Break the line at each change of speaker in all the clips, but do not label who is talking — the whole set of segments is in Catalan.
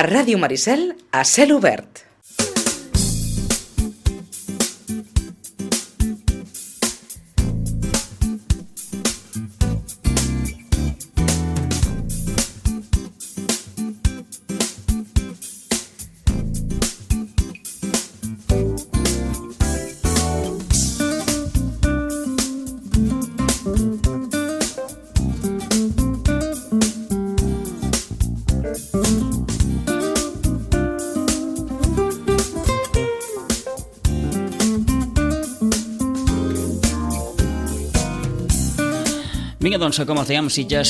A Ràdio Maricel, a cel obert.
Vinga, doncs, com els dèiem, Sitges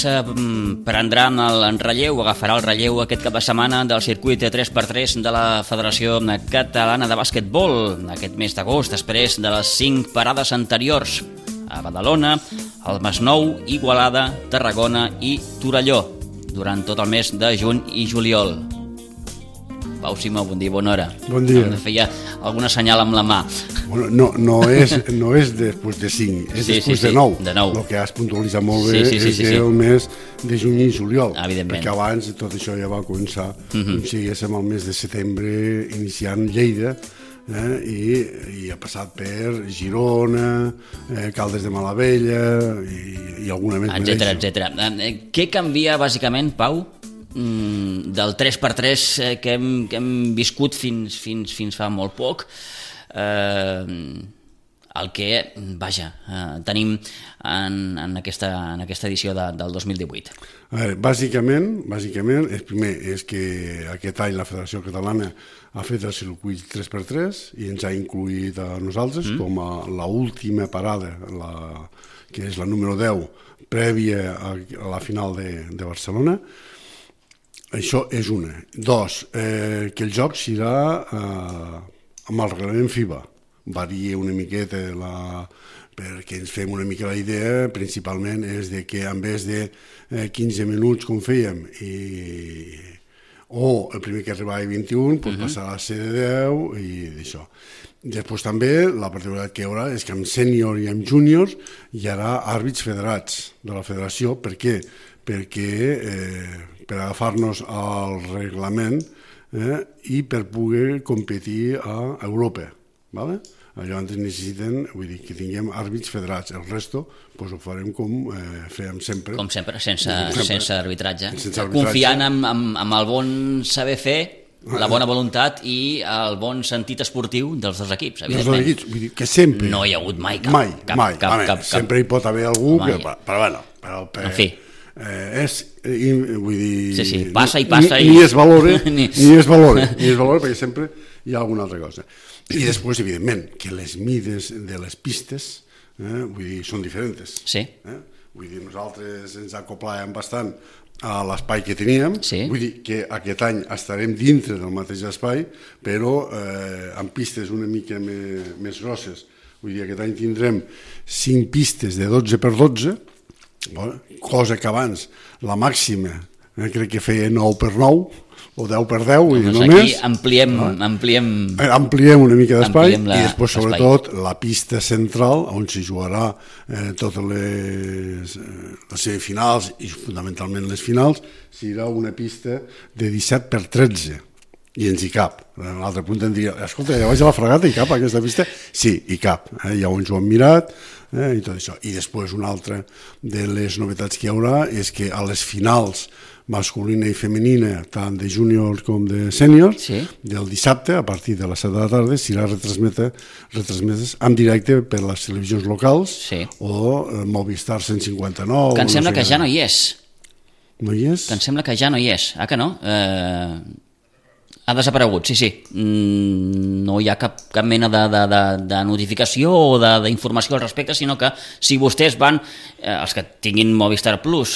prendrà el relleu, agafarà el relleu aquest cap de setmana del circuit 3x3 de la Federació Catalana de Bàsquetbol aquest mes d'agost, després de les 5 parades anteriors a Badalona, al Masnou, Igualada, Tarragona i Torelló, durant tot el mes de juny i juliol. Pau Simó, bon dia, bona hora.
Bon dia.
Em feia alguna senyal amb la mà.
Bueno, no és després de 5, és després de 9.
De 9.
El que has puntualitzat molt bé és el mes de juny i juliol.
Evidentment.
Perquè abans tot això ja va començar, com si diguéssim, el mes de setembre, iniciant Lleida, i ha passat per Girona, Caldes de Malavella i alguna més.
Etcètera. Què canvia, bàsicament, Pau, del 3x3 que hem viscut fins fa molt poc, el que, tenim en aquesta edició del 2018?
A veure, bàsicament, el primer és que aquest any la Federació Catalana ha fet el circuit 3x3 i ens ha incluït a nosaltres com a l'última parada, que és la número 10, prèvia a la final de Barcelona. Això és una. Dos, que el joc serà amb el reglament FIBA. Varia una miqueta perquè ens fem una mica la idea, principalment és de que en vez de 15 minuts com fèiem o el primer que arribava a 21 passarà a ser de 10 i d'això. Després també la particularitat que hi haurà és que amb sènior i amb júniors hi haurà àrbits federats de la federació. Per què? Perquè per agafar-nos al reglament i per poder competir a Europa. Llavors necessiten, que tinguem àrbits federats. El resto ho farem com fèiem sempre.
Com sempre, sense arbitratge. Confiant en el bon saber fer, la bona voluntat i el bon sentit esportiu dels dos equips, evidentment.
Vull dir que sempre...
No hi ha hagut mai
cap. Sempre hi pot haver algú que... Però
en fi.
Vull dir...
Passa
ni es valora perquè sempre hi ha alguna altra cosa. I després, evidentment, que les mides de les pistes són diferents.
Sí.
Vull dir, nosaltres ens acoplàvem bastant a l'espai que teníem. Vull dir que aquest any estarem dintre del mateix espai, però amb pistes una mica més grosses. Vull dir, aquest any tindrem 5 pistes de 12x12, cosa que abans la màxima crec que feia 9x9 o 10x10
doncs aquí ampliem
una mica d'espai i després sobretot la pista central on s'hi jugarà totes les semifinals i fundamentalment les finals serà una pista de 17x13 i ens hi cap. En l'altre punt em diria, escolta, ja vaig a la Fragata i cap aquesta pista? Sí, hi cap, ja ens ho hem mirat i tot això. I després una altra de les novetats que hi haurà és que a les finals masculina i femenina, tant de júniors com de sèniors, del dissabte, a partir de les 7 de la tarda, serà retransmeses en directe per les televisions locals o Movistar 159.
Que em sembla que ja no hi és.
No hi és?
Que em sembla que ja no hi és. Ah, que no? Ha desaparegut, sí. No hi ha cap mena de notificació o d'informació al respecte, sinó que si vostès van, els que tinguin Movistar Plus,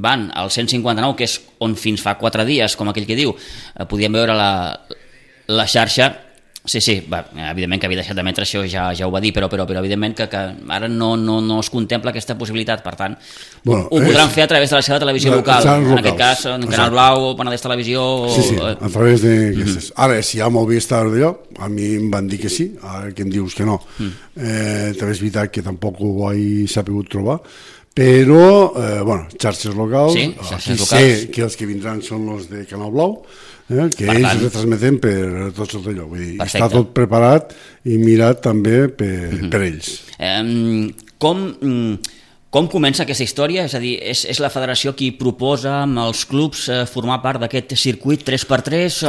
van al 159, que és on fins fa 4 dies, com aquell que diu, podien veure la xarxa. Sí, evidentment que havia deixat d'emetre, això ja ho va dir, però evidentment que ara no es contempla aquesta possibilitat, per tant, ho podran fer a través de la seva televisió local, en aquest cas, en Canal Blau, Penedès Televisió...
Sí, a través d'aquestes. Ara, si hi ha Movistar d'allò, a mi em van dir que sí, ara que em dius que no. També és veritat que tampoc ho he sabut trobar, però, xarxes locals,
Sí,
aquí
xarxes
sé
locals.
que els que vindran són els de Canal Blau, que
Per
ells
tant.
retransmeten per tots els d'allò, vull dir,
Perfecte.
està tot preparat i mirat també per ells.
Com comença aquesta història? És a dir, és la federació qui proposa amb els clubs formar part d'aquest circuit 3x3?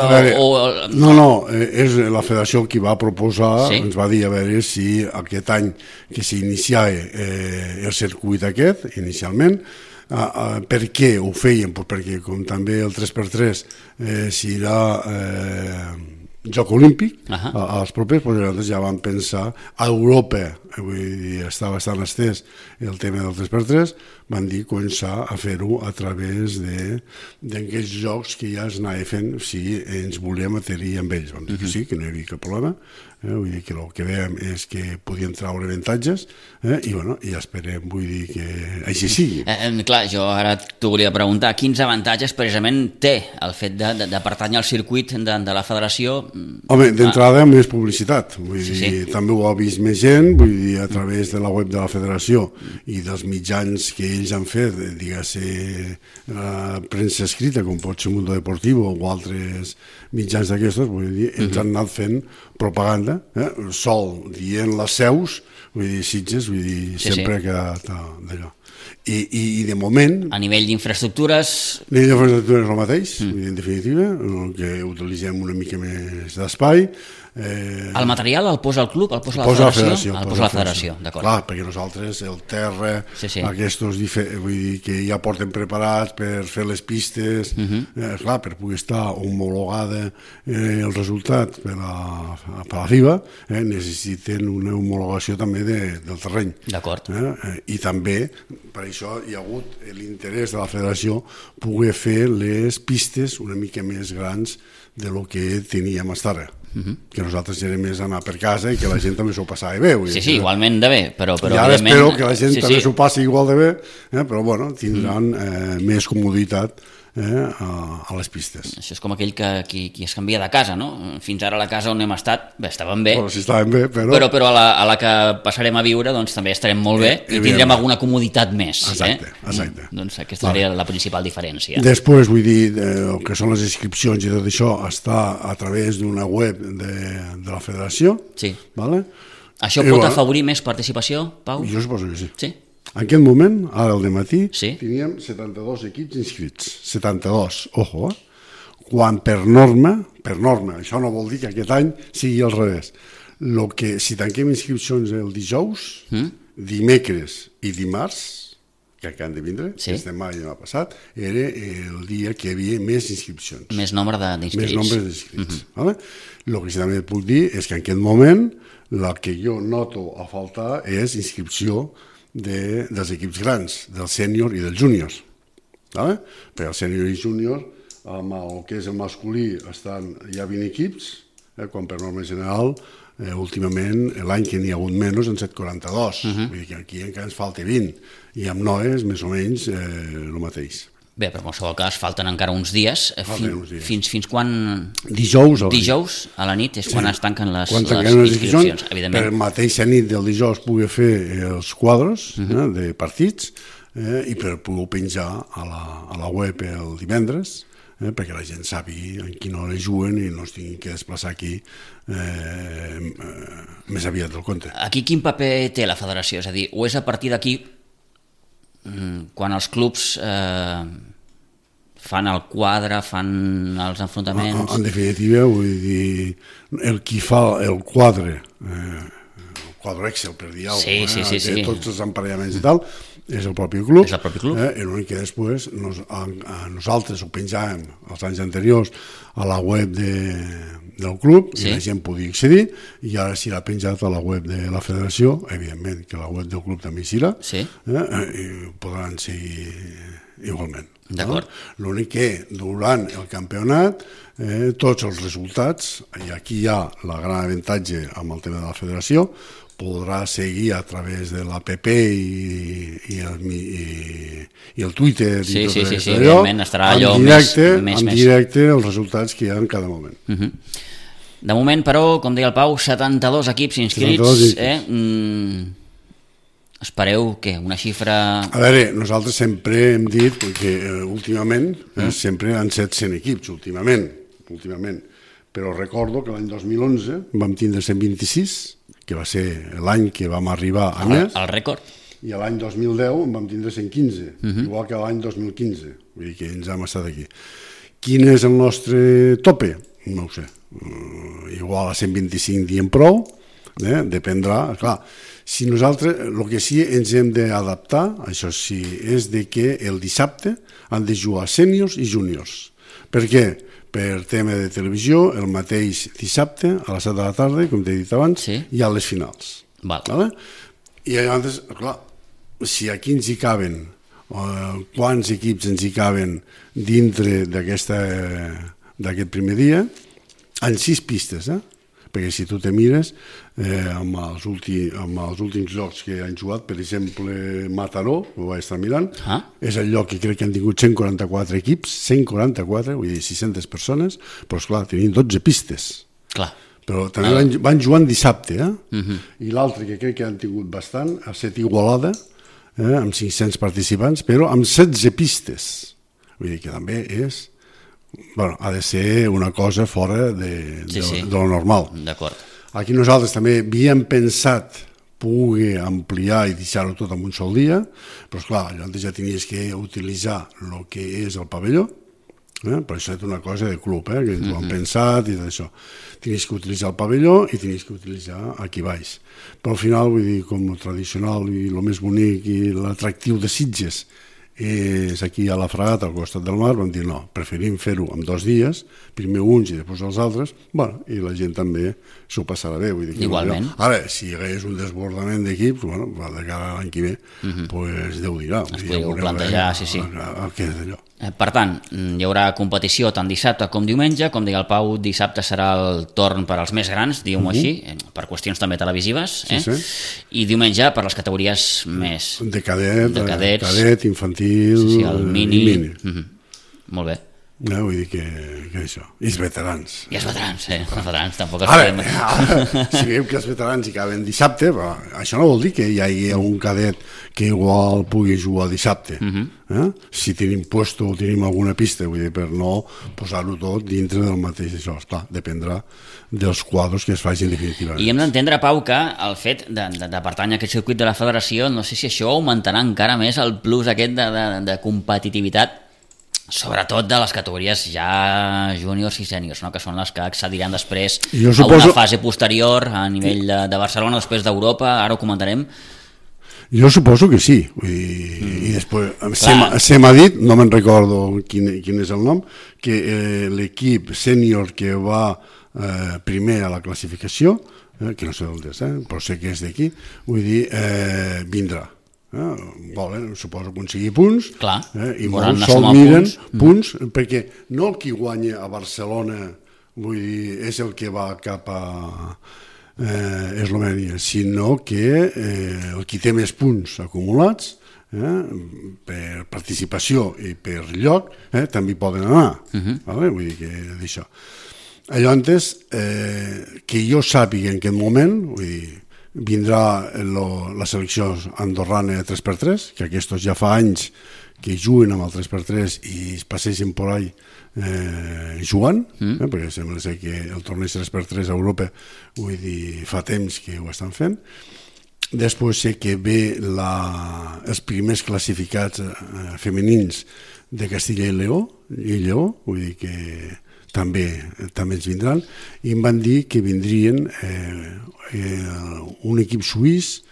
És la federació qui va proposar,
Sí.
ens va dir a veure si aquest any que s'iniciava el circuit aquest, inicialment, per què ho feien? Pues perquè com també el 3x3 serà Joc Olímpic, als propers, doncs nosaltres ja vam pensar, a Europa, vull dir, està bastant estès el tema del 3x3, van dir començar a fer-ho a través d'aquests jocs que ja es anava fent si ens volíem adherir amb ells. Vam dir que sí, que no hi havia cap problema, vull dir que el que veiem és que podien traure avantatges i esperem, vull dir que així sigui.
Clar, jo ara t'ho volia preguntar, quins avantatges precisament té el fet de pertànyer al circuit de la federació?
Home, d'entrada més publicitat, vull dir, també ho ha vist més gent, vull dir, a través de la web de la federació i dels mitjans que ells han fet, diguem-ne, la premsa escrita, com pot ser Mundo Deportivo o altres mitjans d'aquestos, vull dir, ells han anat fent propaganda, sol dient les seus, vull dir, Sitges, vull dir, sempre ha quedat d'allò. I de moment...
A nivell d'infraestructures...
A nivell d'infraestructures és el mateix, en definitiva, que utilitzem una mica més d'espai.
El material el posa el club, el posa la federació? El posa la federació, d'acord.
Clar, perquè nosaltres el terra, aquests vull dir que ja porten preparats per fer les pistes, clar, per poder estar homologada el resultat per la FIBA, necessiten una homologació també del terreny.
D'acord.
I també, per això hi ha hagut l'interès de la federació poder fer les pistes una mica més grans de lo que teníem fins ara. Que nosaltres era més anar per casa i que la gent també s'ho passava bé.
Sí, igualment de bé, però
i ara espero que la gent també s'ho passi igual de bé, però bueno, tindran més comoditat a les pistes.
Això és com aquell qui es canvia de casa, no? Fins ara a la casa on hem estat, bé, estàvem bé,
Bueno, sí, estàvem bé,
però a la que passarem a viure doncs també estarem molt bé i tindrem alguna comoditat més.
Exacte.
Doncs aquesta seria la principal diferència.
Després, vull dir, el que són les inscripcions i tot això està a través d'una web de la federació.
Sí.
Vale?
Això pot afavorir més participació, Pau?
Jo suposo que sí.
Sí?
En aquest moment, ara al dematí,
Sí.
teníem 72 equips inscrits. 72, ojo, quan per norma, això no vol dir que aquest any sigui al revés. Si tanquem inscripcions el dijous, dimecres i dimarts, que han de vindre, este maig no ha passat, era el dia que hi havia més inscripcions.
Més nombre d'inscrits.
Més nombre d'inscrits. El que sí també et puc dir és que en aquest moment la que jo noto a faltar és inscripció dels equips grans, del sènior i dels júniors. Perquè el sènior i júnior, amb el que és el masculí, hi ha 20 equips, quan per norma general, últimament, l'any que n'hi ha hagut menys, en 742. Vull dir que aquí encara ens falta 20, i amb noies, més o menys, el mateix.
Bé, però en qualsevol cas falten encara uns dies. Fins quan?
Dijous
a la nit és quan es tanquen les
inscripcions,
evidentment.
per mateixa nit del dijous pugui fer els quadres de partits i per poder penjar a la web el divendres, perquè la gent sàpiga en quina hora juguen i no es tinguin que desplaçar aquí més aviat del compte.
Aquí quin paper té la federació? És a dir, o és a partir d'aquí quan els clubs fan el quadre, fan els enfrontaments...
En definitiva, vull dir, el qui fa el quadre Excel, per dir alguna cosa, tots els emparellaments i tal, és el propi club. L'únic que després nosaltres ho penjàvem els anys anteriors a la web del club i la gent podia accedir, i ara s'ha penjat a la web de la federació, evidentment que la web del club també hi serà, i podran seguir igualment. L'únic que durant el campionat tots els resultats, i aquí hi ha el gran avantatge amb el tema de la federació, podrà seguir a través de l'APP i el Twitter i tot allò, en directe els resultats que hi ha en cada moment.
De moment, però, com deia el Pau, 72 equips inscrits. Espereu, què, una xifra...
A veure, nosaltres sempre hem dit que últimament sempre han set 100 equips, últimament, però recordo que l'any 2011 vam tindre 126, que va ser l'any que vam arribar a més.
El rècord?
I l'any 2010 en vam tindre 115, igual que l'any 2015, vull dir que ens hem estat aquí. Quin és el nostre tope? No ho sé, igual a 125 diem prou, dependrà, clar. Si nosaltres, el que sí ens hem d'adaptar, això sí, és de que el dissabte han de jugar sèniors i júniors. Per què? Per tema de televisió, el mateix dissabte a les 7 de la tarda, com t'he dit abans, hi ha les finals. Vale? I llavors, clar, si aquí ens hi caben, quants equips ens hi caben dintre d'aquest primer dia, en 6 pistes, perquè si tu te mires amb els últims llocs que han jugat, per exemple Mataró, ho vaig estar mirant, és el lloc que crec que han tingut 144 equips, 144, vull dir 600 persones, però esclar, tenien 12 pistes.
Clar.
Però també van jugant dissabte, i l'altre que crec que han tingut bastant ha estat Igualada, amb 500 participants, però amb 16 pistes. Vull dir que també és... Bueno, ha de ser una cosa fora de lo normal.
D'acord.
Aquí nosaltres també havíem pensat poder ampliar i deixar-ho tot en un sol dia, però esclar, llavors ja tenies que utilitzar el que és el pavelló, per això és una cosa de club, que ens ho han pensat i tot això. Tenies que utilitzar el pavelló i tenies que utilitzar aquí baix. Però al final, vull dir, com el tradicional i el més bonic i l'atractiu de Sitges és aquí a la Fragata, al costat del mar, vam dir no, preferim fer-ho en 2 dies, primer uns i després els altres, bueno, i la gent també s'ho passarà bé. Vull dir que
igualment.
Ara, si hi hagués un desbordament d'equips, bueno, de cara a l'any que ve, pues Déu dirà.
Es podeu plantejar, sí.
El que és d'allò.
Per tant, hi haurà competició tant dissabte com diumenge, com deia el Pau, dissabte serà el torn per als més grans, diguem-ho així, per qüestions també televisives, i diumenge per les categories més...
De cadet, infantil,
el mini. Molt bé.
Vull dir que això. I els veterans.
I els veterans, tampoc els
podem... Si veiem que els veterans hi caben dissabte, això no vol dir que hi hagi un cadet que igual pugui jugar dissabte. Si tenim puesto o tenim alguna pista, vull dir, per no posar-ho tot dintre del mateix això. Clar, dependrà dels quadros que es facin definitivament.
I hem d'entendre, Pau, que el fet de pertànyer a aquest circuit de la federació, no sé si això augmentarà encara més el plus aquest de competitivitat, sobretot de les categories ja júniors i sèniors, no? Que són les que accediran després a una fase posterior a nivell de Barcelona, després d'Europa, ara ho comentarem.
Jo suposo que sí, vull dir, i després se m'ha dit, no me'n recordo quin és el nom, que l'equip sènior que va primer a la classificació, que no sé d'on és, però sé que és d'aquí, vull dir, vindrà. Suposo aconseguir punts.
Clar,
i molt sol miren punts, perquè no el que guanya a Barcelona, vull dir, és el que va cap a Eslovènia, sinó que el qui té més punts acumulats per participació i per lloc també hi poden anar. Vull dir que d'això. Llavors, que jo sàpiga en aquest moment, vull dir, vindrà la selecció andorrana 3x3, que aquests ja fa anys que juguen amb el 3x3 i es passegen per ahí jugant, perquè sembla ser que el torneig 3x3 a Europa, vull dir, fa temps que ho estan fent. Després sé que ve els primers classificats femenins de Castilla i Lleó, vull dir que també ens vindran, i em van dir que vindrien un equip suís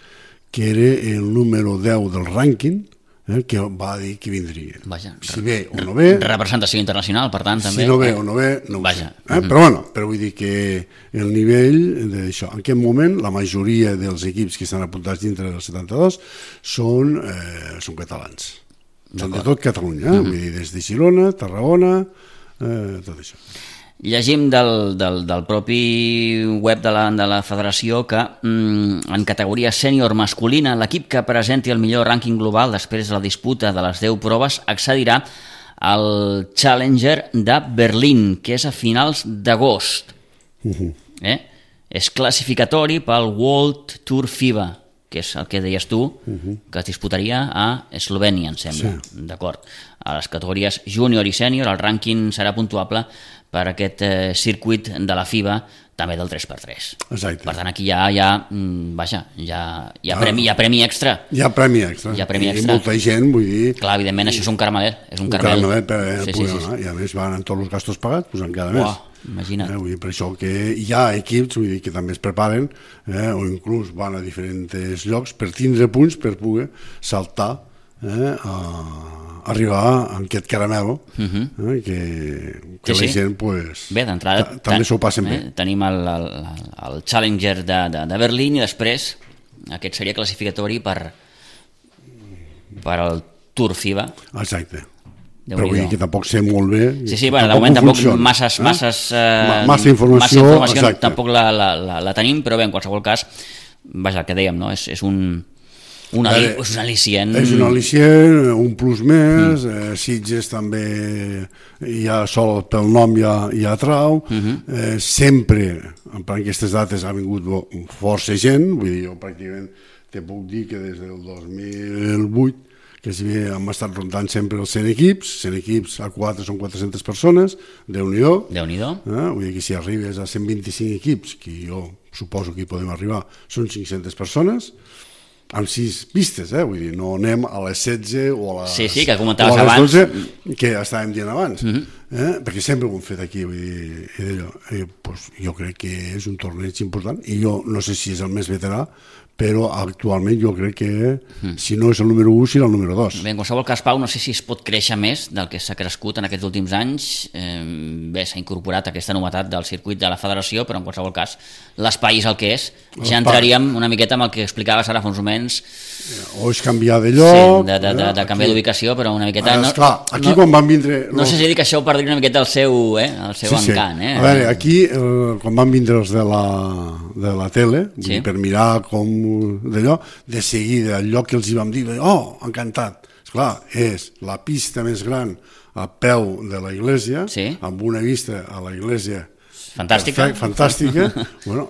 que era el número 10 del rànquing, que va dir que vindria. Si ve o no ve...
Representació internacional, per tant, també.
Si no ve o no ve, no ho sé. Però vull dir que el nivell d'això... En aquest moment, la majoria dels equips que estan apuntats dintre del 72 són catalans. Són de tot Catalunya, vull dir, des de Girona, Tarragona, tot això.
Llegim del propi web de la federació que en categoria sènior masculina l'equip que presenti el millor rànquing global després de la disputa de les 10 proves accedirà al Challenger de Berlín, que és a finals d'agost. És classificatori pel World Tour FIBA, que és el que deies tu, que es disputaria a Eslovènia, em sembla.
Sí.
D'acord. A les categories júnior i sènior el rànquing serà puntuable per aquest circuit de la FIBA, també del 3x3.
Exacte.
Per tant, aquí hi ha premi extra.
Hi ha premi extra. I molta gent, vull dir...
Clar, evidentment, això és un caramel. És un
caramel per poder anar. I a més van amb tots els gastos pagats, doncs encara més.
Imagina't.
Vull dir, per això que hi ha equips vull dir, que també es preparen o inclús van a diferents llocs per tindre punts per poder saltar a arribar a aquest caramel que la gent pues,
bé, d'entrada
també s'ho passen bé.
Tenim el Challenger de Berlín i després aquest seria classificatori per al Tour FIBA.
Exacte. Però vull dir que tampoc sé molt bé.
Sí, bueno, de moment tampoc massa informació tampoc la tenim, però bé, en qualsevol cas, vaja, el que dèiem, no? És un al·licient.
És un al·licient, un plus més, Sitges també ja sol pel nom ja atrau, sempre, en aquestes dates ha vingut força gent, vull dir, jo pràcticament te puc dir que des del 2008 que hem estat rondant sempre els 100 equips, a 4 són 400 persones, Déu-n'hi-do. Vull dir que si arribes a 125 equips, que jo suposo que hi podem arribar, són 500 persones, amb 6 pistes, vull dir, no anem a les 16 o a les,
que comentaves abans
12, que estàvem dient abans, perquè sempre ho hem fet aquí, vull dir, pues, jo crec que és un torneig important, i jo no sé si és el més veterà, però actualment jo crec que si no és el número 1 serà el número 2.
Bé, en qualsevol cas, Pau, no sé si es pot créixer més del que s'ha crescut en aquests últims anys. Bé, s'ha incorporat aquesta novetat del circuit de la federació, però en qualsevol cas l'espai és el que és. Ja entraríem una miqueta amb el que explicaves ara fa uns moments.
O és canviar de lloc.
Sí, de canviar d'ubicació, però una miqueta...
Esclar, aquí quan van vindre...
No sé si dir que això ho perdria una miqueta el seu encant.
A veure, aquí, quan van vindre els de la tele, per mirar com d'allò, de seguida el lloc que els hi vam dir, encantat, esclar, és la pista més gran a peu de la iglesia, amb una vista a la iglesia fantàstica. Bueno,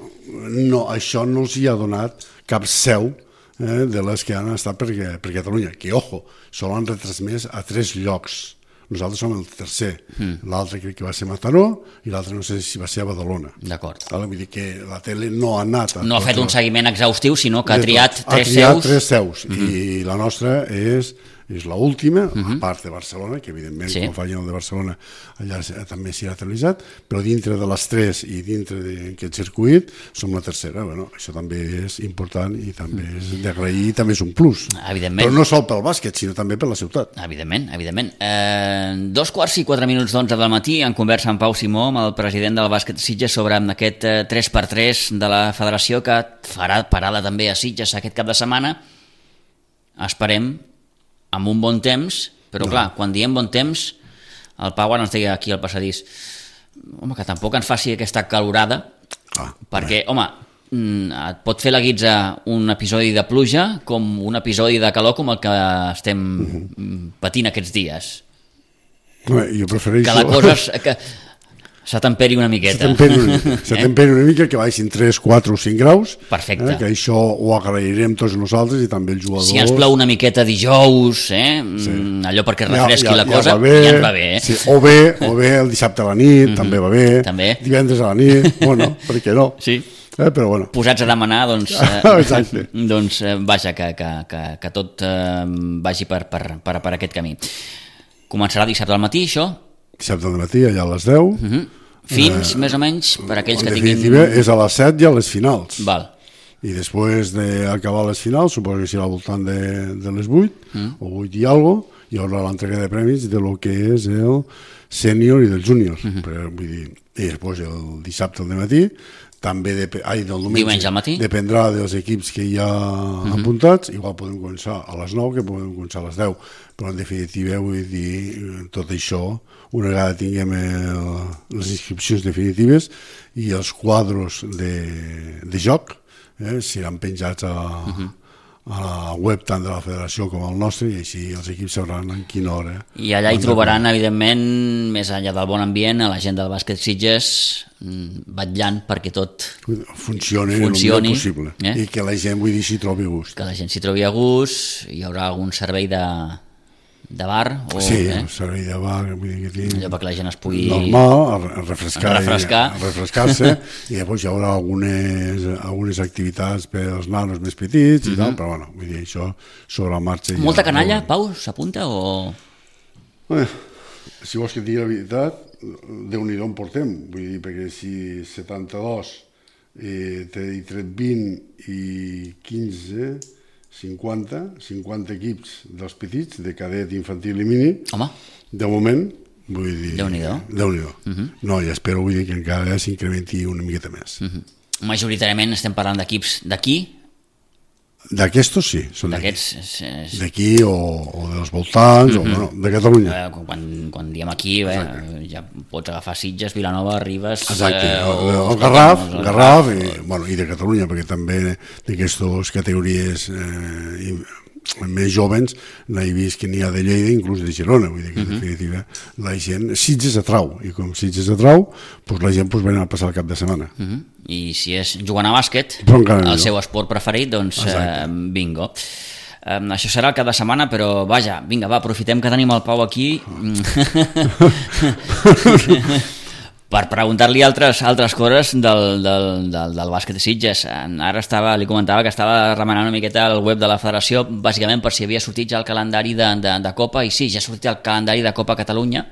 no, això no els hi ha donat cap seu de les que han estat per Catalunya, que ojo, sol han retransmès a 3 llocs. Nosaltres som el tercer, l'altre crec que va ser Mataró i l'altre no sé si va ser a Badalona.
D'acord.
Vull dir que la tele no ha anat...
No ha fet un seguiment exhaustiu, sinó que ha triat 3
seus. I la nostra és l'última, a part de Barcelona, que evidentment quan facin el de Barcelona allà també s'hi ha televisat, però dintre de les 3 i dintre d'aquest circuit som la tercera. Bueno, això també és important i també és d'agrair i també és un plus.
Evidentment.
Però no sol pel bàsquet, sinó també per la ciutat.
Evidentment. 2:04 del matí, en conversa amb Pau Simó, amb el president del bàsquet Sitges, sobre aquest 3x3 de la federació que farà parada també a Sitges aquest cap de setmana. Esperem amb un bon temps, però clar, quan diem bon temps, el Pau ara ens deia aquí al passadís, que tampoc ens faci aquesta calorada, perquè, et pot fer la guitza un episodi de pluja com un episodi de calor com el que estem patint aquests dies.
Jo prefereixo...
Que la cosa... s'atemperi una miqueta.
S'atemperi una mica, que baixin 3, 4 o 5 graus.
Perfecte.
Que això ho agrairem tots nosaltres i també els jugadors.
Si ens plou una miqueta dijous, allò perquè refresqui la cosa, ja ens va bé.
Sí, o bé el dissabte a la nit, també va bé.
També.
Divendres a la nit, bueno, per què no?
Sí.
Però bueno.
Posats a demanar, doncs, vaja, que tot vagi per aquest camí. Començarà dissabte al matí, això?
Dissabte al matí, allà a les 10.
Fins, més o menys, per aquells que tinguin...
En definitiva, és a les 7 i a les finals.
Val.
I després d'acabar les finals, suposo que serà al voltant de les 8, o 8 i alguna cosa, hi haurà l'entrega de premis de lo que és el sènior i del júnior. Vull dir, i després el dissabte al matí, també
diumenge al matí,
dependrà dels equips que hi ha apuntats. Igual podem començar a les 9 que podem començar a les 10, però en definitiva vull dir, tot això, una vegada tinguem les inscripcions definitives i els quadros de joc seran penjats a la web tant de la federació com el nostre, i així els equips sabran en quina hora.
I allà hi trobaran, evidentment, més enllà del bon ambient, a la gent del bàsquet Sitges vetllant perquè tot
funcioni el millor possible, i que la gent, vull dir, s'hi trobi a gust.
Que la gent s'hi trobi a gust, hi haurà algun servei de bar?
Sí, un servei de bar, vull dir que
allò perquè la gent es pugui...
Normal, refrescar-se, i llavors hi haurà algunes activitats per als nanos més petits i tal, però bueno, vull dir, això sobre la marxa...
Molta canalla, Pau, s'apunta o...?
Si vols que et digui la veritat, Déu-n'hi-do en portem, vull dir, perquè si 72 t'he tret 20 i 15, 50 equips dels petits, de cadet, infantil i mini,
home,
de moment, vull dir...
Déu-n'hi-do.
No, i espero, vull dir, que encara s'incrementi una miqueta més.
Majoritàriament estem parlant d'equips d'aquí?
D'aquestos sí, són
d'aquests.
D'aquí o dels voltants, o no, de Catalunya.
Quan diem aquí, ja pots agafar Sitges, Vilanova, Ribes...
Exacte, el Garraf, i de Catalunya, perquè també d'aquestes categories més jovens n'he vist que n'hi ha de Lleida, inclús de Girona, vull dir que en definitiva la gent, Sitges atrau, i com Sitges atrau, la gent va anar a passar el cap de setmana.
I si és jugant a bàsquet, el seu esport preferit, doncs bingo. Això serà el cap de setmana, però vaja, vinga, va, aprofitem que tenim el Pau aquí per preguntar-li altres coses del bàsquet de Sitges. Ara li comentava que estava remenant una miqueta el web de la federació, bàsicament per si havia sortit ja el calendari de Copa, i sí, ja ha sortit el calendari de Copa Catalunya,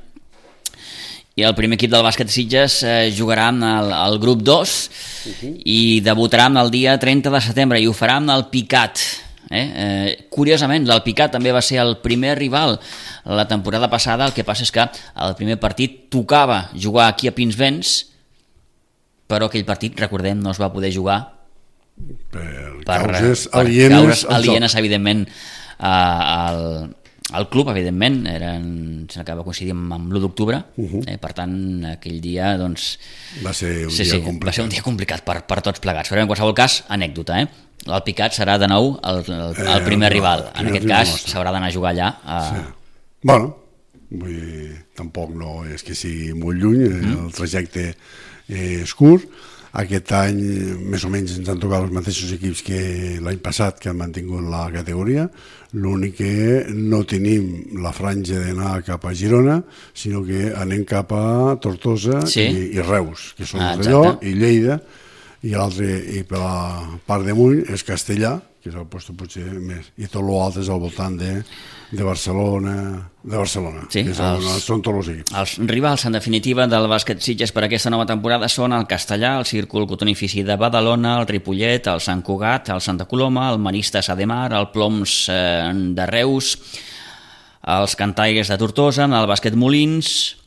i el primer equip del bàsquet de Sitges jugarà al grup 2 i debutarà el dia 30 de setembre, i ho farà amb el Picat. Curiosament, l'Alpicat també va ser el primer rival la temporada passada. El que passa és que el primer partit tocava jugar aquí a Pinsbens, però aquell partit, recordem, no es va poder jugar
per causes alienes,
evidentment, al club, evidentment, s'acaba coincidint amb l'1 d'octubre, per tant, aquell dia doncs, va ser un dia complicat per tots plegats, però en qualsevol cas, anècdota, l'Alpicat serà de nou el primer rival, en aquest cas s'haurà d'anar a jugar allà.
Bueno, tampoc no és que sigui molt lluny, el trajecte és curt. Aquest any més o menys ens han tocat els mateixos equips que l'any passat, que han mantingut la categoria. L'únic que no tenim la franja d'anar cap a Girona, sinó que anem cap a Tortosa i Reus, que són d'allò, i Lleida, i l'altre, i per la part d'amunt, és Castellà, que és el lloc potser més, i tot l'altre és al voltant de Barcelona,
sí,
són tots els equips.
Els rivals, en definitiva, del bàsquet Sitges per aquesta nova temporada són el Castellà, el Círcul Cotonifici de Badalona, el Ripollet, el Sant Cugat, el Santa Coloma, el Maristes Ademar, el Ploms de Reus, els Cantaires de Tortosa, el Bàsquet Molins,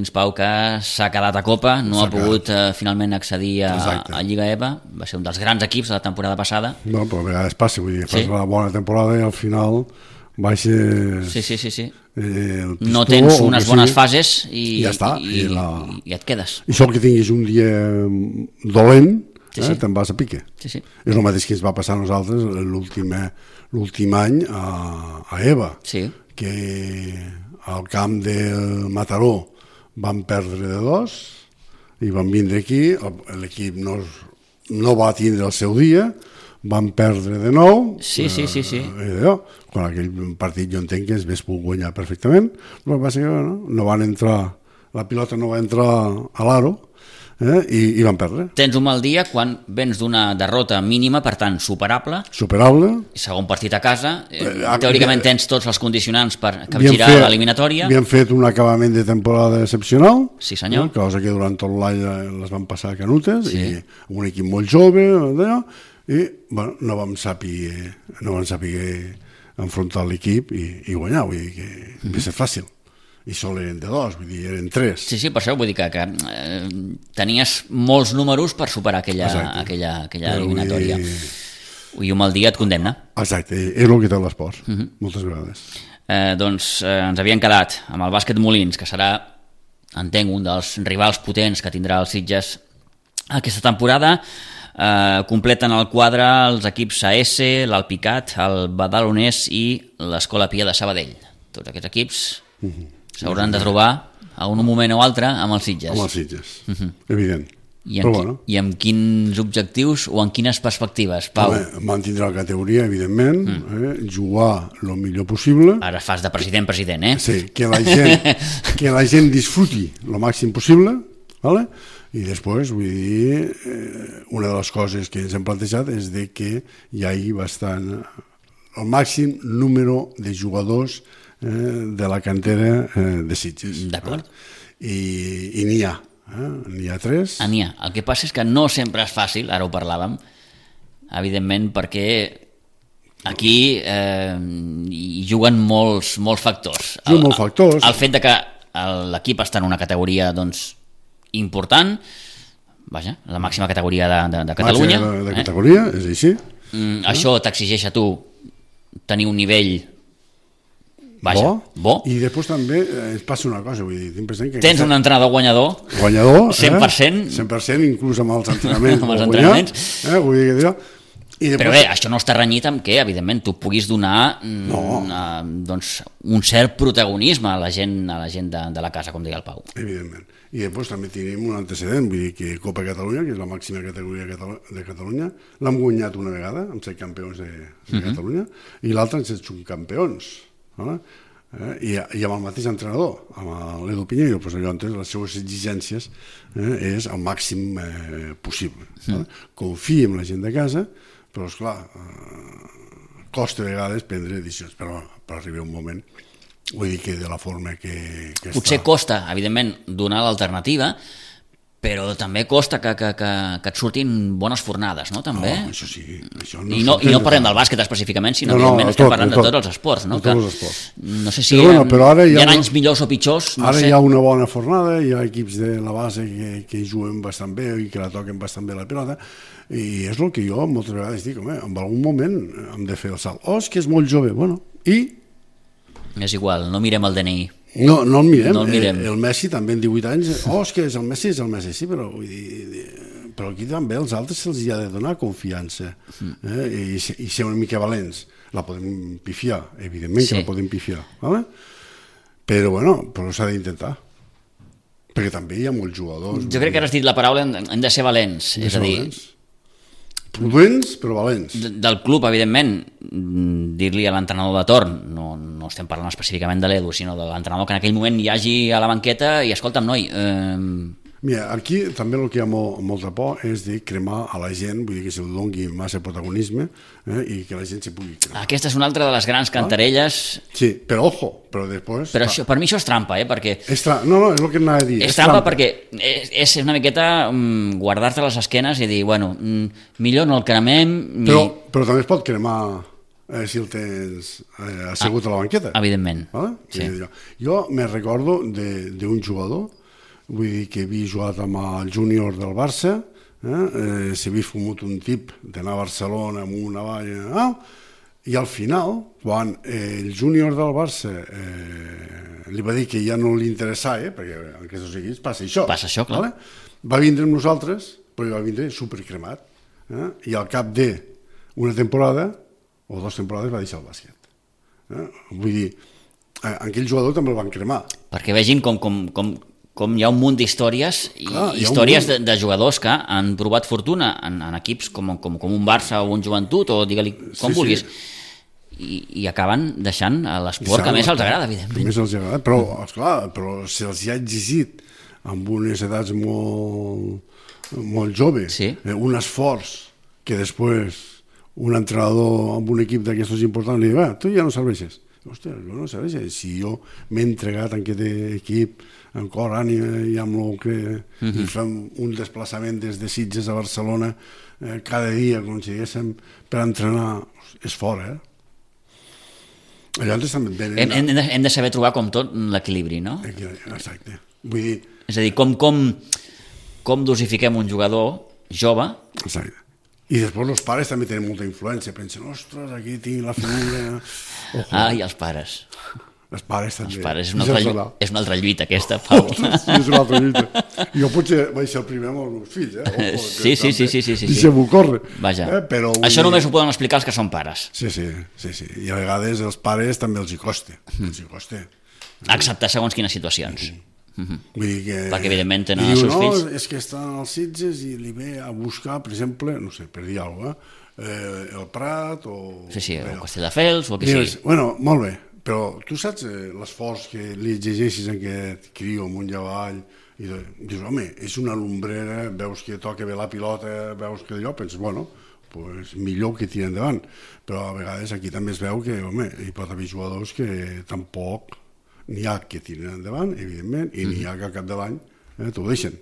Pau, que s'ha quedat a Copa, no ha pogut finalment accedir a Lliga EVA, va ser un dels grans equips de la temporada passada.
No, però a vegades passa, vull dir, fas una bona temporada i al final baixes...
Sí. No tens unes bones fases i
ja està,
i et quedes.
I això que tinguis un dia dolent, te'n vas a pique. És el mateix que ens va passar a nosaltres l'últim any a EVA, que al camp del Mataró van perdre de 2 i van vindre aquí, l'equip no va tindre el seu dia, van perdre de 9.
Sí.
Quan aquell partit jo entenc que es hauria pogut guanyar perfectament, però va ser que no van entrar, la pilota no va entrar a l'aro, i van perdre.
Tens un mal dia quan vens d'una derrota mínima, per tant superable, segon partit a casa, teòricament tens tots els condicionants per capgirar l'eliminatòria.
Havíem fet un acabament de temporada excepcional,
sí senyor,
cosa que durant tot l'any les van passar canutes, i un equip molt jove, i no vam saber enfrontar l'equip i guanyar, vull dir que va ser fàcil. I sol eren de 2, vull dir, eren 3.
Sí, per això vull dir que tenies molts números per superar aquella eliminatòria. I un mal dia et condemna.
Exacte, és el que té l'esport, moltes vegades.
Doncs ens havien quedat amb el Bàsquet Molins, que serà, entenc, un dels rivals potents que tindrà el Sitges aquesta temporada. Completen el quadre els equips AS, l'Alpicat, el Badalonès i l'Escola Pia de Sabadell. Tots aquests equips s'hauran de trobar a un moment o altre amb els Sitges.
Amb els Sitges, evident.
I amb quins objectius o en quines perspectives, Pau?
Mantindre la categoria, evidentment, jugar el millor possible.
Ara fas de president,
Sí, que la gent disfruti el màxim possible, ¿vale? I després, vull dir, una de les coses que ens hem plantejat és de que hi hagi el màxim número de jugadors de la cantera de Sitges.
D'acord.
I n'hi ha. N'hi ha 3.
N'hi ha. El que passa és que no sempre és fàcil, ara ho parlàvem, evidentment, perquè aquí hi juguen molts factors.
Molts factors.
El fet de que l'equip està en una categoria important, vaja, la màxima categoria de Catalunya.
De categoria, és així.
Això t'exigeix a tu tenir un nivell bo.
I després també ens passa una cosa, vull dir, tinc present que
tens un entrenador guanyador 100%,
100%, inclús amb els entrenaments.
Amb els entrenaments.
Vull dir que després...
Però bé, això no està renyit amb que, evidentment, tu puguis donar un cert protagonisme a la gent de la casa, com deia el Pau.
Evidentment. I després també tenim un antecedent, vull dir que Copa Catalunya, que és la màxima categoria de Catalunya, l'hem guanyat una vegada, amb 7 campions de Catalunya, i l'altra amb 7 subcampions. I amb el mateix entrenador, amb l'Edu Pinheiro, doncs llavors les seues exigències és el màxim possible. Confia en la gent de casa, però esclar, costa a vegades prendre decisions, però arriba un moment, vull dir que de la forma que
potser costa, evidentment, donar l'alternativa, però també costa que et surtin bones fornades, no? També.
Això sí.
I no parlem del bàsquet específicament, sinó evidentment estem parlant de tots els esports, no?
De tots els esports.
No sé si hi ha anys millors o pitjors.
Ara hi ha una bona fornada, hi ha equips de la base que juguen bastant bé i que la toquen bastant bé la pilota, i és el que jo moltes vegades dic, home, en algun moment hem de fer el salt. És que és molt jove, bueno, i...
És igual, no mirem el DNI.
No el mirem. El Messi també en 18 anys, és que el Messi, sí, però vull dir, però aquí també als altres se'ls ha de donar confiança i ser una mica valents. La podem pifiar, evidentment que la podem pifiar, però s'ha d'intentar, perquè també hi ha molts jugadors.
Jo crec que has dit la paraula, hem de ser valents, és a dir...
Prudents, però valents.
Del club, evidentment, dir-li a l'entrenador de torn, no estem parlant específicament de l'Edu, sinó de l'entrenador que en aquell moment hi hagi a la banqueta i escolta'm, noi...
Mira, aquí també el que hi ha molta por és de cremar a la gent, vull dir que se'l doni massa protagonisme i que la gent se pugui cremar.
Aquesta és una altra de les grans cantarelles...
Sí, però ojo, però després...
Però per mi això és trampa, perquè...
No, és el que anava a dir.
És trampa perquè és una miqueta guardar-te les esquenes i dir, bueno, millor no el cremem...
Però també es pot cremar si el tens assegut a la banqueta.
Evidentment.
Sí. Jo me recordo d'un jugador, vull dir que havia jugat amb el júnior del Barça, s'havia fumut un tip d'anar a Barcelona amb una valla, i al final, quan el júnior del Barça li va dir que ja no li interessava, perquè en aquests equips passa això.
Passa això, clar.
Va vindre amb nosaltres, però va vindre supercremat, i al cap d'una temporada o 2 temporades va deixar el bàsquet. Vull dir, aquell jugador també el van cremar.
Perquè vegin com hi ha un munt d'històries històries de jugadors que han provat fortuna en equips com un Barça o un Joventut o digue-li com vulguis i acaben deixant l'esport que més els agrada, evidentment.
Més els agrada, però esclar, però se'ls ha exigit amb unes edats molt joves un esforç que després un entrenador amb un equip d'aquestos importants li diu, tu ja no serveixes. Hòstia, jo no serveixes. Si jo m'he entregat en aquest equip en cor, ànima i amb el que i fem un desplaçament des de Sitges a Barcelona cada dia, com si diguéssim, per entrenar, és fora, Llavors també venen...
Hem de saber trobar com tot l'equilibri, no?
Exacte. Vull dir...
És a dir, com dosifiquem un jugador jove...
Exacte. I després els pares també tenen molta influència, pensen, ostres, aquí tinc la figura...
I els pares.
Els pares també.
Els pares és una altra lluita aquesta, Pau.
Sí, és una altra lluita. Jo potser vaig ser el primer amb els meus fills, Ojo,
Sí.
Deixem-ho córrer.
Vaja,
però
això només ho poden explicar els que són pares.
Sí. I a vegades els pares també els hi costa.
Acceptar segons quines situacions.
Vull dir que...
Perquè evidentment tenen els seus fills.
És que estan als Sitges i li ve a buscar, per exemple, no sé, per dir alguna cosa, el Prat o...
Sí, o Castelldefels o el que sigui.
Bueno, molt bé, però tu saps l'esforç que li exigeixis a aquest criu amunt i avall i dius, home, és una lumbrera, veus que toca bé la pilota, veus que allò, penses, bueno, pues millor que tira endavant, però a vegades aquí també es veu que, home, hi pot haver jugadors que tampoc n'hi ha que tiren endavant, evidentment, i n'hi ha que al cap de l'any t'ho deixen.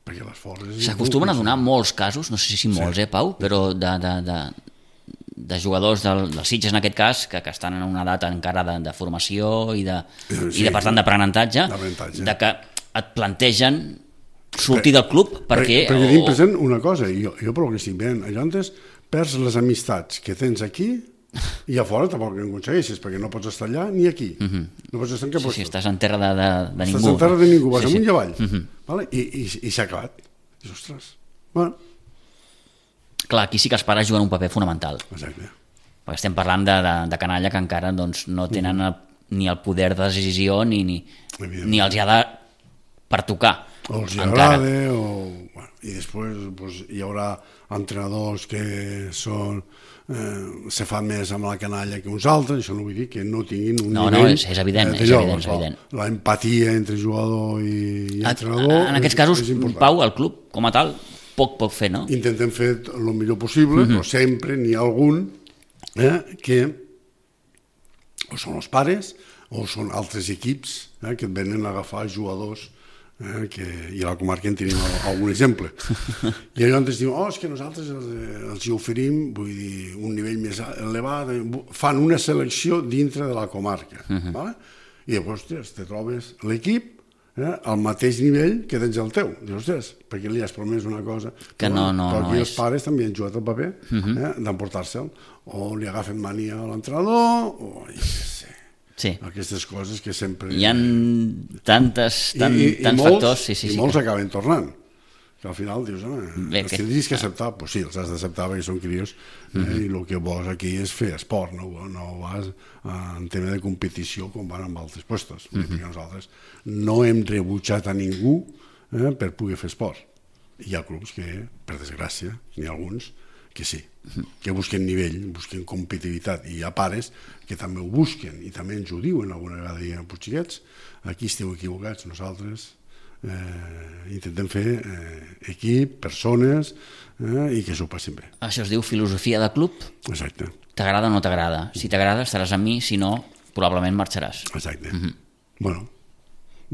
S'acostumen a donar molts casos, no sé si molts, Pau, però de jugadors dels Sitges en aquest cas, que estan en una edat encara de formació i de per tant d'aprenentatge, de que et plantegen sortir del club perquè
tinc present una cosa, jo per el que estic veient, allò antes perds les amistats que tens aquí i a fora tampoc en aconsegueixes, perquè no pots estar allà ni aquí. No pots estar en cap lloc.
Sí, estàs en terra de ningú.
Estàs en terra de ningú, vas amunt i avall. I s'ha acabat. I ostres, bueno.
Clar, aquí sí que els pares juguen un paper fonamental.
Exacte.
Perquè estem parlant de canalla que encara no tenen ni el poder de decisió ni els hi ha de pertocar.
O els hi agrada, i després hi haurà entrenadors que se fan més amb la canalla que uns altres, això no vull dir que no tinguin un nivell...
No, és evident, és evident.
L'empatia entre jugador i entrenador...
En aquests casos, Pau, el club, com a tal, poc pot fer, no?
Intentem fer el millor possible, però sempre n'hi ha algun que o són els pares o són altres equips que et venen a agafar jugadors i a la comarca en tenim algun exemple. I allò ens diuen, és que nosaltres els hi oferim, vull dir, un nivell més elevat, fan una selecció dintre de la comarca. I llavors, te trobes l'equip al mateix nivell que tens el teu. Dius, ostres, perquè li has promès una cosa
que no
aquí
és.
Els pares també han jugat el paper d'emportar-se'l, o li agafen mania a l'entrenador, o jo què sé.
Sí.
Aquestes coses que sempre...
Hi ha tants factors.
I molts acaben tornant. Que al final dius, els tindries que acceptar. Doncs sí, els has d'acceptar perquè són crios i el que vols aquí és fer esport, no vas en tema de competició com van amb altres puestos. Perquè nosaltres no hem rebutjat a ningú per poder fer esport. Hi ha clubs que, per desgràcia, n'hi ha alguns que sí, que busquen nivell, busquen competitivitat, i hi ha pares que també ho busquen i també ens ho diuen alguna vegada, diuen, xiquets, aquí esteu equivocats, nosaltres intentem fer equip, persones i que s'ho passin bé.
Això es diu filosofia de club?
Exacte.
T'agrada o no t'agrada? Si t'agrada estaràs amb mi, si no, probablement marxaràs.
Exacte. Bueno,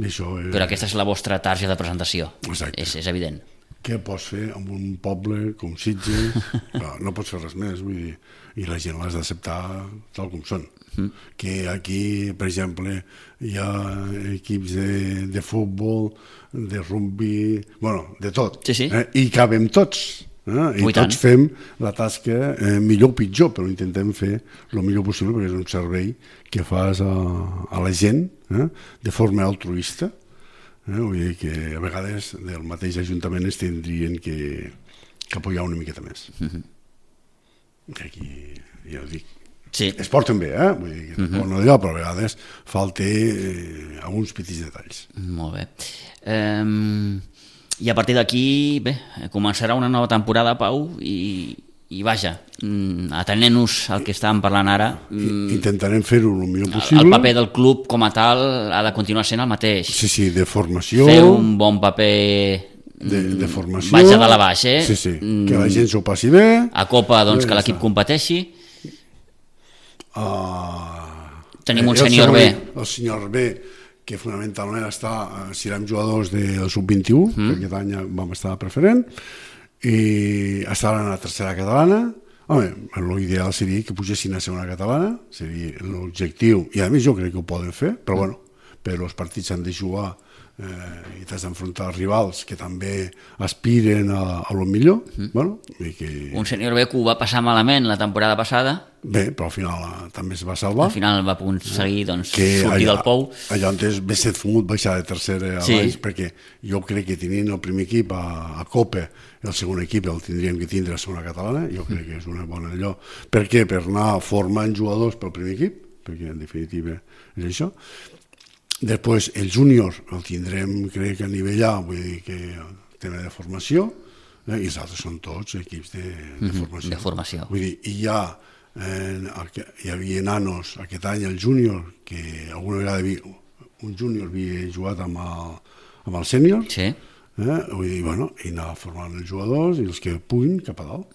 això és...
Però aquesta és la vostra targeta de presentació.
Exacte.
És evident.
Què pots fer amb un poble com Sitges? No pots fer res més, vull dir, i la gent l'has d'acceptar tal com són. Que aquí, per exemple, hi ha equips de futbol, de rugby, bueno, de tot.
Sí.
I cabem tots. I tots fem la tasca millor o pitjor, però intentem fer el millor possible perquè és un servei que fas a la gent de forma altruista. Vull dir que a vegades del mateix ajuntament es tindrien que apoyar una miqueta més. Que aquí, ja ho dic, es porten bé, vull dir que no allò, però a vegades falta alguns petits detalls.
Molt bé. I a partir d'aquí, bé, començarà una nova temporada, Pau, i vaja, atenent-nos al que estàvem parlant ara,
intentarem fer-ho el millor possible.
El paper del club com a tal ha de continuar sent el mateix.
Sí, de formació.
Fer un bon paper
de formació.
Vaig a dalt a baix,
Sí, que la gent s'ho passi bé.
A Copa, doncs, que l'equip competeixi. Tenim un senyor B.
El senyor B, que fonamentalment serem jugadors del sub-21, que aquest any vam estar preferent, i estaran a la tercera catalana. Home, l'ideal seria que pugessin a segona catalana, seria l'objectiu, i a més jo crec que ho poden fer, però bueno, però els partits han de jugar i t'has d'enfrontar rivals que també aspiren a lo millor. Bueno, i que...
Un sènior B que ho va passar malament la temporada passada.
Bé, però al final també es va salvar.
Al final va aconseguir sortir del pou.
Allò antes Besset Fumut baixar de tercera a baix, perquè jo crec que tenint el primer equip a Copa, el segon equip el tindríem que tindre a segona catalana, jo crec que és una bona allò. Per què? Per anar formant jugadors pel primer equip, perquè en definitiva és això. Després el júnior el tindrem, crec, a nivell A, vull dir que el tema de formació, i els altres són tots equips de formació.
De formació.
Vull dir, hi havia nanos aquest any, el júnior, que alguna vegada un júnior havia jugat amb el sènior,
Sí.
Vull dir, bueno, i anar formant els jugadors i els que puguin cap a dalt.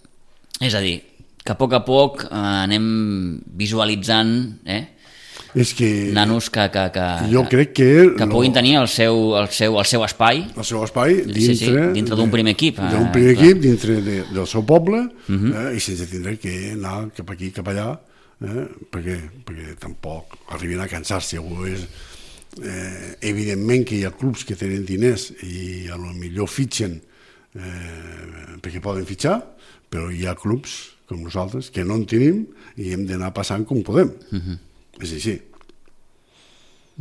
És a dir, que a poc anem visualitzant
És que
nanos que
jo crec que
puguin tenir el seu espai.
El seu espai
dintre d'un primer equip.
D'un primer equip, dintre del seu poble, i sense tindre que anar cap aquí, cap allà, perquè tampoc arriben a cansar-se. Evidentment que hi ha clubs que tenen diners i a lo millor fitxen perquè poden fitxar, però hi ha clubs com nosaltres que no en tenim i hem d'anar passant com podem. És així.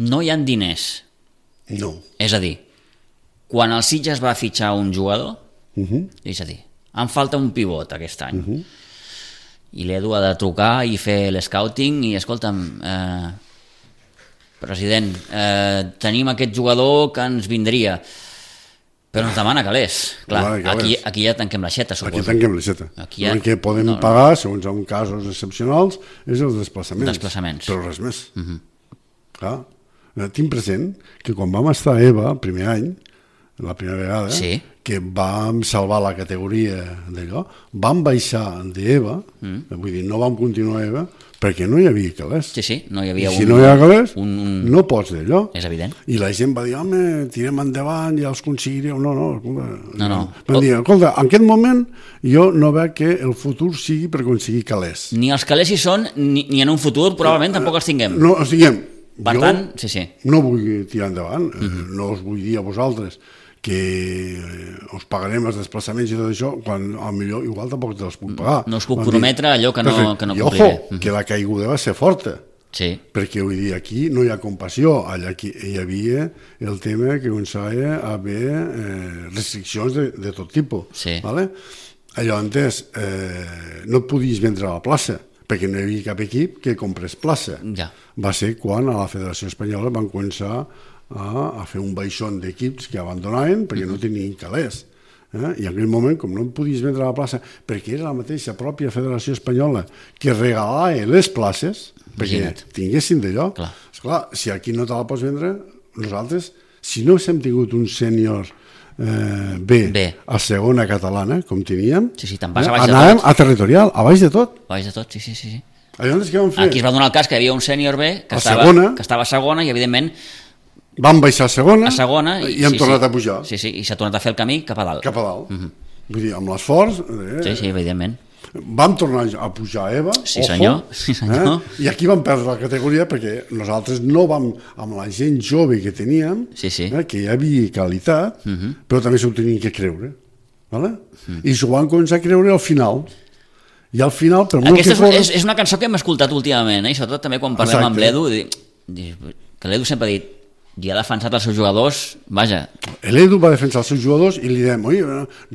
No hi ha diners.
No.
És a dir, quan el Sitges va fitxar un jugador, és a dir, em falta un pivot aquest any, i l'Edu ha de trucar i fer l'escouting i, escolta'm, president, tenim aquest jugador que ens vindria, però ens demana calés. Clar, aquí ja tanquem l'aixeta, suposo.
Aquí tanquem l'aixeta. El que podem pagar, segons en casos excepcionals, és els desplaçaments. Però res més. Clar, tinc present que quan vam estar a EVA, el primer any, la primera vegada, que vam salvar la categoria d'allò, vam baixar d'EVA, vull dir, no vam continuar a EVA, perquè no hi havia calés.
Sí, no hi havia
si no hi ha calés, no pots d'allò.
És evident.
I la gent va dir, home, tirem endavant, ja els aconseguireu. No. Van dir, escolta, en aquest moment jo no veig que el futur sigui per aconseguir calés.
Ni els calés hi són, ni en un futur probablement tampoc els tinguem.
No els tinguem.
Per tant,
no vull tirar endavant, no us vull dir a vosaltres que us pagarem els desplaçaments i tot això, quan millor igual tampoc te'ls puc pagar.
No us puc prometre allò que no compliré.
I ojo, que la caiguda va ser forta, perquè vull dir, aquí no hi ha compassió, allà hi havia el tema que començava a haver restriccions de tot tipus. Allò antes no et podies vendre a la plaça, perquè no hi havia cap equip que comprés plaça. Va ser quan a la Federació Espanyola van començar a fer un baixón d'equips que abandonaven perquè no tenien calés. I en aquell moment, com no em podies vendre a la plaça, perquè era la mateixa pròpia Federació Espanyola que regalava les places perquè tinguessin d'allò. Esclar, si aquí no te la pots vendre, nosaltres, si no hem tingut un sènior B a segona catalana, com teníem, anàvem a territorial, a baix de tot.
A baix de tot, sí.
Aquí
es va donar el cas que hi havia un sènior B que estava a segona i, evidentment,
van baixar a segona i han tornat a pujar.
Sí, i s'ha tornat a fer el camí cap a dalt.
Vull dir, amb l'esforç...
Sí, evidentment.
Vam tornar a pujar a EVA,
sí senyor.
I aquí vam perdre la categoria perquè nosaltres no vam, amb la gent jove que teníem, que hi havia qualitat, però també s'ho tenien que creure. I s'ho van començar a creure al final. I al final...
Aquesta és una cançó que hem escoltat últimament, i sobretot també quan parlem amb l'Edu, que l'Edu sempre ha dit, i ha defensat els seus jugadors, vaja.
L'Edu va defensar els seus jugadors i li dèiem, oye,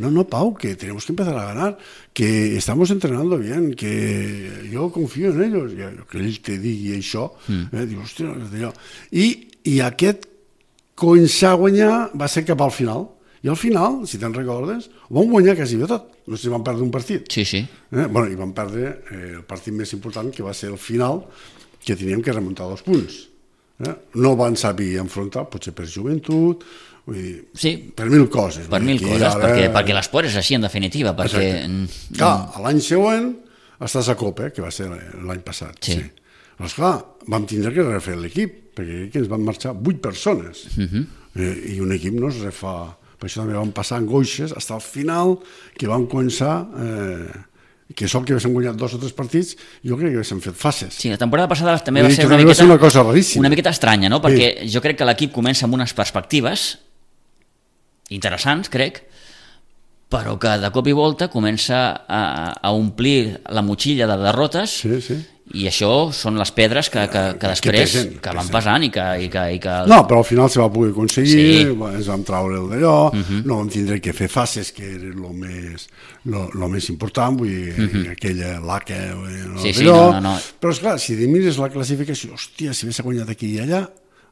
no, Pau, que tenemos que empezar a ganar, que estamos entrenando bien, que yo confío en ellos. I que ell te digui això, diu, hòstia, i aquest començar a guanyar va ser cap al final. I al final, si te'n recordes, ho vam guanyar quasi de tot. No sé si vam perdre un partit.
Sí.
I vam perdre el partit més important, que va ser el final, que teníem que remuntar 2 punts. No van saber enfrontar, potser per joventut, per mil coses.
Per mil coses, perquè l'esport és així, en definitiva.
Clar, l'any següent estàs a Copa, que va ser l'any passat. Però clar, vam tindre que refer l'equip, perquè ens van marxar 8 persones. I un equip no es refà. Per això també vam passar angoixes fins al final, que vam començar que sol que haguéssim guanyat 2 o 3 partits, jo crec que haguéssim fet fases.
Sí, la temporada passada també
Vull
va
dir
ser
que va ser una cosa raríssima.
una miqueta estranya, no? Perquè jo crec que l'equip comença amb unes perspectives interessants, crec, però que de cop i volta comença a omplir la motxilla de derrotes.
Sí.
I això són les pedres que després que van pesant i que...
No, però al final se va poder aconseguir,
Sí.
ens vam traure el d'allò, no vam tindre que fer fases, que era el més important, vull dir, aquella laca,
Sí, no.
Però esclar, si mires la classificació, hòstia, si hagués guanyat aquí i allà,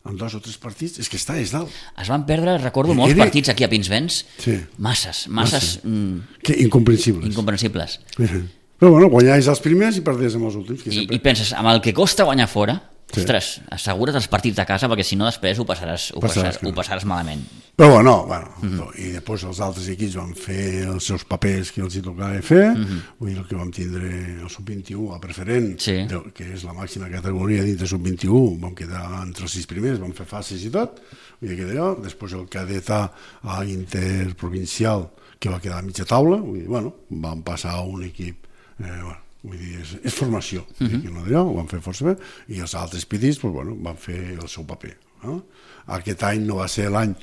amb 2 o 3 partits, és que està és dalt.
Es van perdre, recordo, molts partits aquí a Pinsbens,
Sí.
masses
Que incomprensibles.
incomprensibles.
Però bueno, guanyàs els primers i perdés amb els últims. Que sempre...
I penses, amb el que costa guanyar fora,
Sí.
ostres, assegura't els partits de casa, perquè si no després ho passaràs malament.
Però bueno, i després els altres equips van fer els seus papers que els hi tocava fer, vull dir, el que vam tindre el sub-21 a preferent,
Sí.
que és la màxima categoria dintre sub-21, vam quedar entre els 6 primers, vam fer fases i tot, vull dir que d'allò, després el cadet a interprovincial, que va quedar a mitja taula, vull dir, bueno, vam passar a un equip, vull dir, és formació, que no d'allò, ho van fer força bé, i els altres petits, doncs, bueno, van fer el seu paper. No? Aquest any no va ser l'any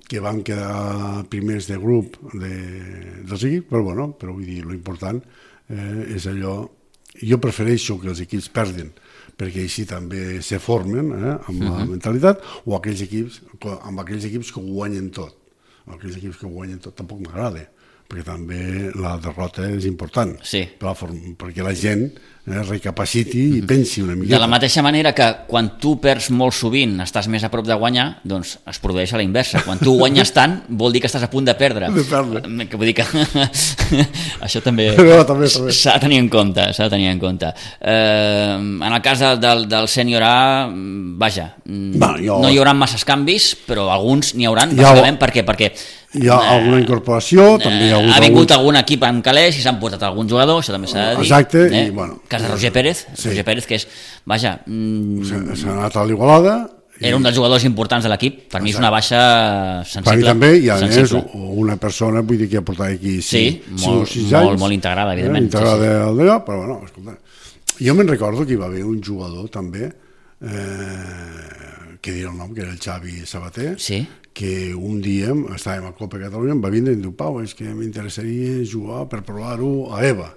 que van quedar primers de grup dels equips, però bueno, però vull dir, l'important és allò, jo prefereixo que els equips perdin, perquè així també se formen amb la mentalitat, o amb aquells equips que ho guanyen tot. Aquells equips que ho guanyen tot tampoc m'agrada, perquè també la derrota és important,
Sí.
perquè la gent recapaciti i pensi una miqueta.
De la mateixa manera que quan tu perds molt sovint estàs més a prop de guanyar, doncs es produeix a la inversa. Quan tu guanyes tant, vol dir que estàs a punt de perdre. Que vull dir que això també s'ha de tenir en compte. En el cas del sènior A, vaja, no hi haurà masses canvis, però alguns n'hi hauran, bàsicament perquè
hi ha alguna incorporació, també hi ha
vingut algun equip amb calés i s'han portat algun jugador, això també s'ha de dir.
Exacte, i bueno...
El cas de Roger Pérez, que és, vaja...
S'ha anat a l'Igualada...
Era un dels jugadors importants de l'equip, per mi és una baixa sensible.
Per mi també, i a més una persona, vull dir, que ha portat aquí 5 o 6 anys.
Molt integrada, evidentment.
Integrada d'allò, però bueno, escolta, jo me'n recordo que hi va haver un jugador també, que diré el nom, que era el Xavi Sabater, que un dia estàvem a Copa Catalunya, em va vindre i em diu, Pau, és que m'interessaria jugar per provar-ho a EVA.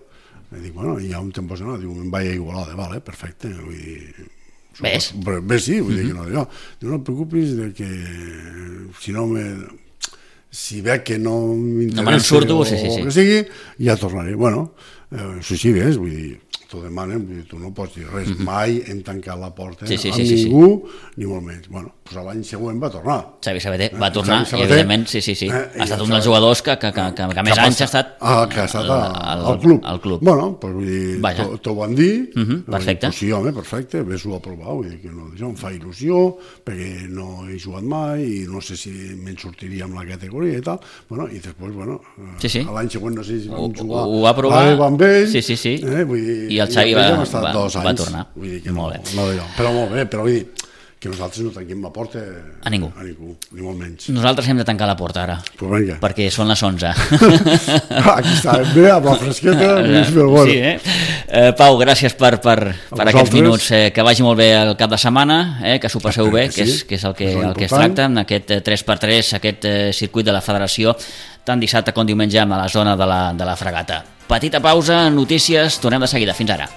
I dic, bueno, ja on te'n pots anar? Diu, me'n vaig a Igualada, vale, perfecte, vull dir...
Ves?
Ves, sí, vull dir que no, no et preocupis de que si veig que no m'interessa o que sigui, ja tornaré. Bueno, sí, ves, vull dir, t'ho demanen, vull dir, tu no pots dir res, mai hem tancat la porta amb ningú, ni molt menys. Bueno, doncs l'any següent va tornar.
Xavi Sabater va tornar i evidentment, sí, ha estat un dels jugadors que més anys ha estat
al club. Bueno, doncs vull dir, t'ho van dir,
perfecte.
Sí, home, perfecte, ves-ho a provar, vull dir que no, em fa il·lusió, perquè no he jugat mai i no sé si me'n sortiria amb la categoria i tal, bueno, i després, bueno, l'any següent no sé si vam jugar a EVA amb ell, vull dir,
i el Xavi va tornar.
Però molt bé, però vull dir que nosaltres no tanquem la porta
a ningú,
ni molt menys.
Nosaltres hem de tancar la porta ara, perquè són les 11.
Aquí està, bé, amb la fresqueta,
Pau, gràcies per aquests minuts, que vagi molt bé el cap de setmana, que s'ho passeu bé, que és el que es tracta, en aquest 3x3, aquest circuit de la federació, tant dissabte com diumenge a la zona de la Fregata. Petita pausa, notícies, tornem de seguida. Fins ara.